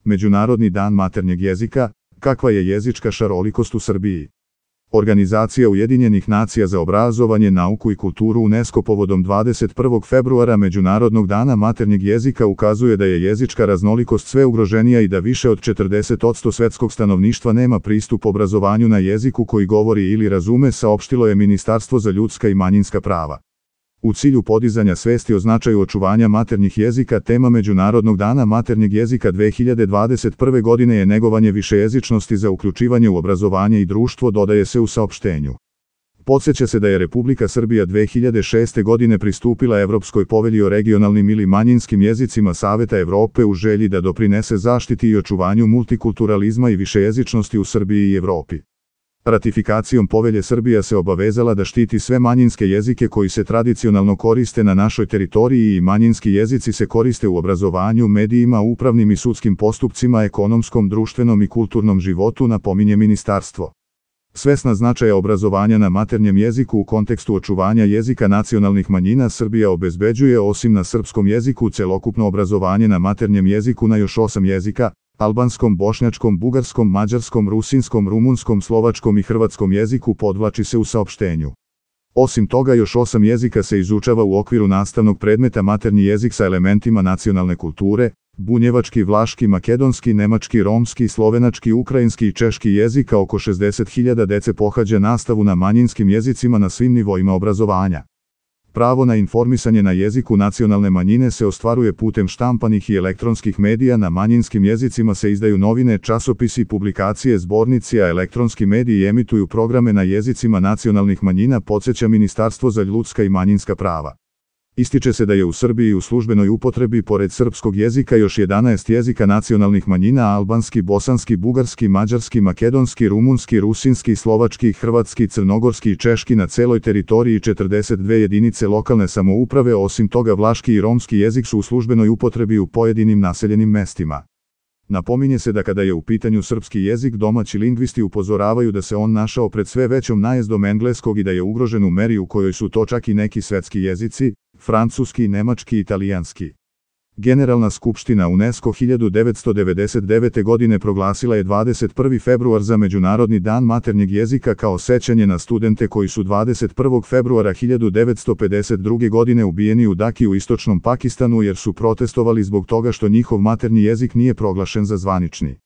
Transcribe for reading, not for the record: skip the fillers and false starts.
Međunarodni dan maternjeg jezika, kakva je jezička šarolikost u Srbiji. Organizacija Ujedinjenih nacija za obrazovanje, nauku i kulturu UNESCO povodom 21. februara Međunarodnog dana maternjeg jezika ukazuje da je jezička raznolikost sve ugroženija i da više od 40% svetskog stanovništva nema pristup obrazovanju na jeziku koji govori ili razume, saopštilo je Ministarstvo za ljudska i manjinska prava. U cilju podizanja svesti o značaju očuvanja maternjih jezika, tema Međunarodnog dana maternjeg jezika 2021. godine je negovanje višejezičnosti za uključivanje u obrazovanje i društvo, dodaje se u saopštenju. Podsjeća se da je Republika Srbija 2006. godine pristupila Evropskoj povelji o regionalnim ili manjinskim jezicima Saveta Evrope u želji da doprinese zaštiti i očuvanju multikulturalizma i višejezičnosti u Srbiji i Evropi. Ratifikacijom povelje Srbija se obavezala da štiti sve manjinske jezike koji se tradicionalno koriste na našoj teritoriji i manjinski jezici se koriste u obrazovanju, medijima, upravnim i sudskim postupcima, ekonomskom, društvenom i kulturnom životu, napominje ministarstvo. Svesna značaja obrazovanja na maternjem jeziku u kontekstu očuvanja jezika nacionalnih manjina, Srbija obezbeđuje, osim na srpskom jeziku, celokupno obrazovanje na maternjem jeziku na još 8 jezika: albanskom, bošnjačkom, bugarskom, mađarskom, rusinskom, rumunskom, slovačkom i hrvatskom jeziku, podvlači se u saopštenju. Osim toga, još 8 jezika se izučava u okviru nastavnog predmeta maternji jezik sa elementima nacionalne kulture: bunjevački, vlaški, makedonski, nemački, romski, slovenački, ukrajinski i češki jezik, a oko 60.000 dece pohađa nastavu na manjinskim jezicima na svim nivoima obrazovanja. Pravo na informisanje na jeziku nacionalne manjine se ostvaruje putem štampanih i elektronskih medija, na manjinskim jezicima se izdaju novine, časopisi, publikacije, zbornici, a elektronski mediji emituju programe na jezicima nacionalnih manjina, podsjeća Ministarstvo za ljudska i manjinska prava. Ističe se da je u Srbiji u službenoj upotrebi pored srpskog jezika još 11 jezika nacionalnih manjina: albanski, bosanski, bugarski, mađarski, makedonski, rumunski, rusinski, slovački, hrvatski, crnogorski i češki na celoj teritoriji 42 jedinice lokalne samouprave. Osim toga, vlaški i romski jezik su u službenoj upotrebi u pojedinim naseljenim mestima. Napominje se da kada je u pitanju srpski jezik, domaći lingvisti upozoravaju da se on našao pred sve većom najezdom engleskog i da je ugrožen u meri u kojoj su to čak i neki svetski jezici: francuski, nemački i italijanski. Generalna skupština UNESCO 1999. godine proglasila je 21. februar za Međunarodni dan maternjeg jezika kao sećanje na studente koji su 21. februara 1952. godine ubijeni u Daki u istočnom Pakistanu jer su protestovali zbog toga što njihov maternji jezik nije proglašen za zvanični.